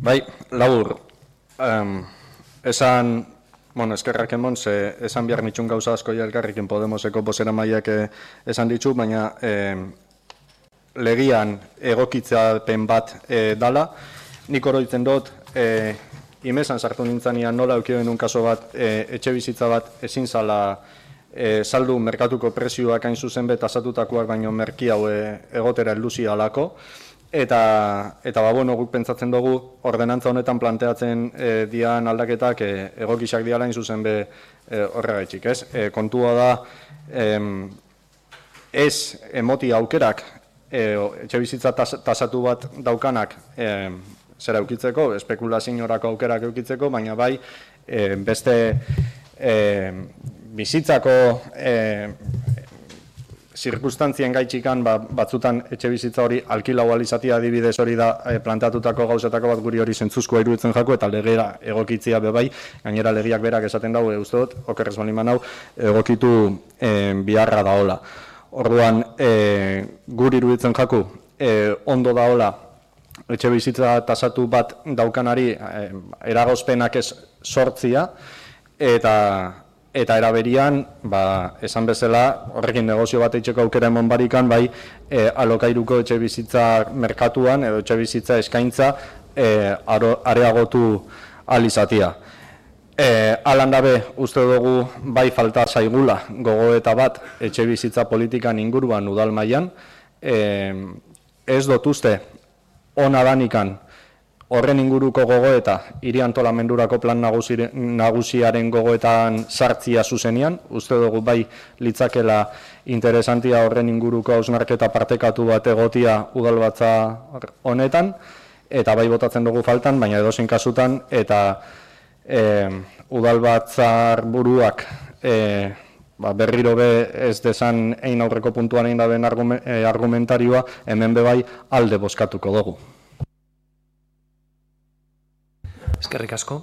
Bai, labur, eskerrak emon, esan behar nitxun gauza asko elkarrekin Podemoseko bozeramaileak esan ditu, baina legian egokitzapen bat dala. Nik oroitzen dut, imesan sartu nintzanean nola eukioen kaso bat, etxe bizitza bat ezin zala saldu merkatuko prezioak hain zuzen bet asatutakoak baino merki hau egotera helduzi alako. Eta guk pentsatzen dugu, ordenantza honetan planteatzen dian aldaketak egokisak diala hain zuzen be horregaitxik, ez? Kontua da, ez emoti aukerak, etxe bizitza tasatu bat daukanak zera eukitzeko, espekulaziorako aukerak eukitzeko, baina bai beste bizitzako zirkustantzien gaitxikan batzutan etxe bizitza hori alkilau alizatia adibidez hori da planteatutako gauzetako bat guri hori zentzuzkoa iruditzen jako eta legera egokitzia bebai, gainera legiak berak esaten dago uste dut, okerrez bali manau, egokitu biharra daola. Orduan, guri iruditzen jako ondo daola etxe bizitza tasatu bat daukanari eragozpenak ez sortzia eta eraberian, esan bezala, horrekin negozio bat eitzeko aukera emon barikan, bai, alokairuko etxe bizitza merkatuan, edo etxe bizitza eskaintza, areagotu alizatia. Alan dabe, uste dugu, bai falta zaigula gogoeta bat etxe bizitza politikan inguruan udal mailan, ez dut uste, ona danikan, horren inguruko gogoeta, hiri antolamendurako plan nagusiaren gogoetan sartzia zuzenian, uste dugu bai litzakela interesantia horren inguruko hausnarketa partekatu bat egotia udalbatza honetan, eta bai botatzen dugu faltan, baina edozein kasutan, eta udalbatzar buruak berriro be ez desan ein aurreko puntuan egin daben argumentarioa, hemen bebai alde bozkatuko dugu. Eskerrik asko.